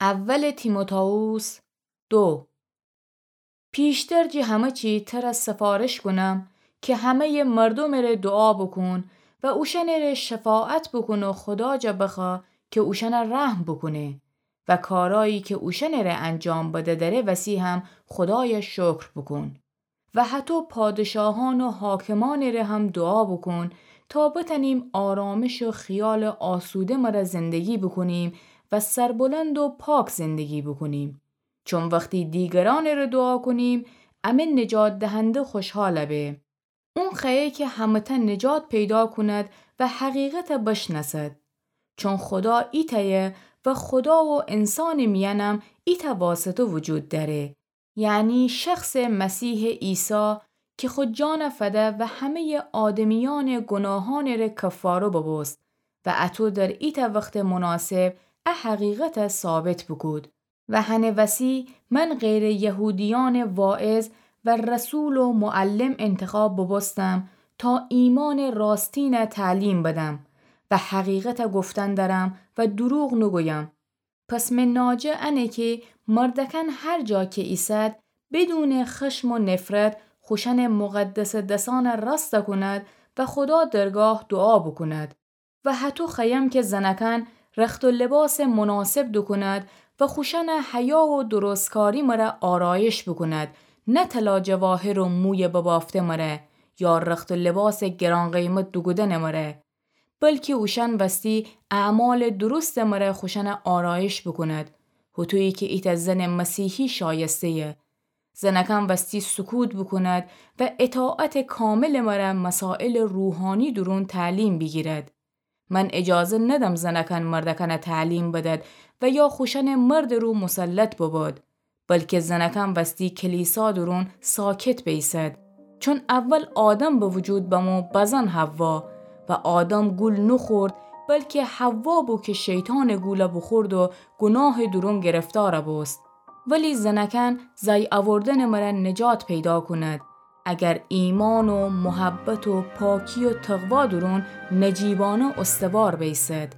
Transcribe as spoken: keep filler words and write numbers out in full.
اول تیموتائوس دو. پیشتر جی همه چی تره سفارش کونم که همه‌یٚ مردومٚ ره دوعا بوکون و اوشأنٚ ره شفاعت بوکون و خودا جا بخوأ که اوشأنه رحم بوکونه و کارایی که اوشأنٚ ره انجام بده دره وسی هم خودایه شکر بوکون. و هتو پادشاهان و حاکمانٚ ره هم دوعا بوکون تا بتأنیم آرامش و خیالٚ آسوده مره زندگی بوکونیم و سربلند و پاک زندگی بوکونیم. چون وختی دیگرانٚ ره دوعا کونیم، امه نجات دهنده خوشحال به. اون خوأیه که همه‌تأ نجات پیدا کوند و حقیقته بشنأسد. چون خودا ایتأیه و خودا و انسانٚ میأنم ایتأ واسطه وجود دأره، یعنی شخصٚ مسیحٚ عیسی که خو جانَ فده و همه‌یٚ آدمیأنٚ گوناهانٚ ره کفاره ببوست و اطو در ایتأ وختٚ مناسب ا حقیقته ثابت بوکود. و هنٚ وسی من غیرٚ یهودیأنٚ واعظ و رسول و معلم انتخاب ببوستم تا ایمانٚ راستینَ تعلیم بدم و حقیقته گفتن درم و دروغ نوگویم. پس مٚ ناجه انه که مردأکأن هر جا که ایسد، بدونٚ خشم و نفرت خوشأنٚ مقدسٚ دسأنَ راستَ کوند و خودا درگاه دوعا بوکوند. و هتو خوأیم که زنأکأن رخت و لباسٚ مناسب دوکوند و خوشأنٚ حیا و درستکاری مره آرایش بوکوند، نه طلا جواهر و مویٚ ببافته مره یا رخت و لباسٚ گران‌قیمت دوکودنٚ مره، بلکی اوشأن وستی اعمالٚ درستٚ مره خوشأنَ آرایش بوکوند، هوطویی که ایتأ زنٚ مسیحی شایسته‌یه. زنأکأن وستی سکوت بوکوند و اطاعتٚ کاملٚ مره مسائلٚ روحانی دورون تعلیم بیگیرد. من اجازه ندم زنأکأن مردأکأنَ تعلیم بدد و یا خوشأنٚ مردٚ رو مسلط ببد، بلکه زنأکأن وستی کلیسا دورون ساکت بیسد. چون اول آدم به وجود بمو، بزن حوا، و آدم گول نوخورد، بلکه حوا بو که شیطانٚ گولَ بوخورد و گوناهٚ دورون گرفتارَ بوست. ولی زنأکأن زأی اوردنٚ مره نجات پیدا کوند، اگر ایمان و محبت و پاکی و تقوا دورون نجیبانه استوار بیسد.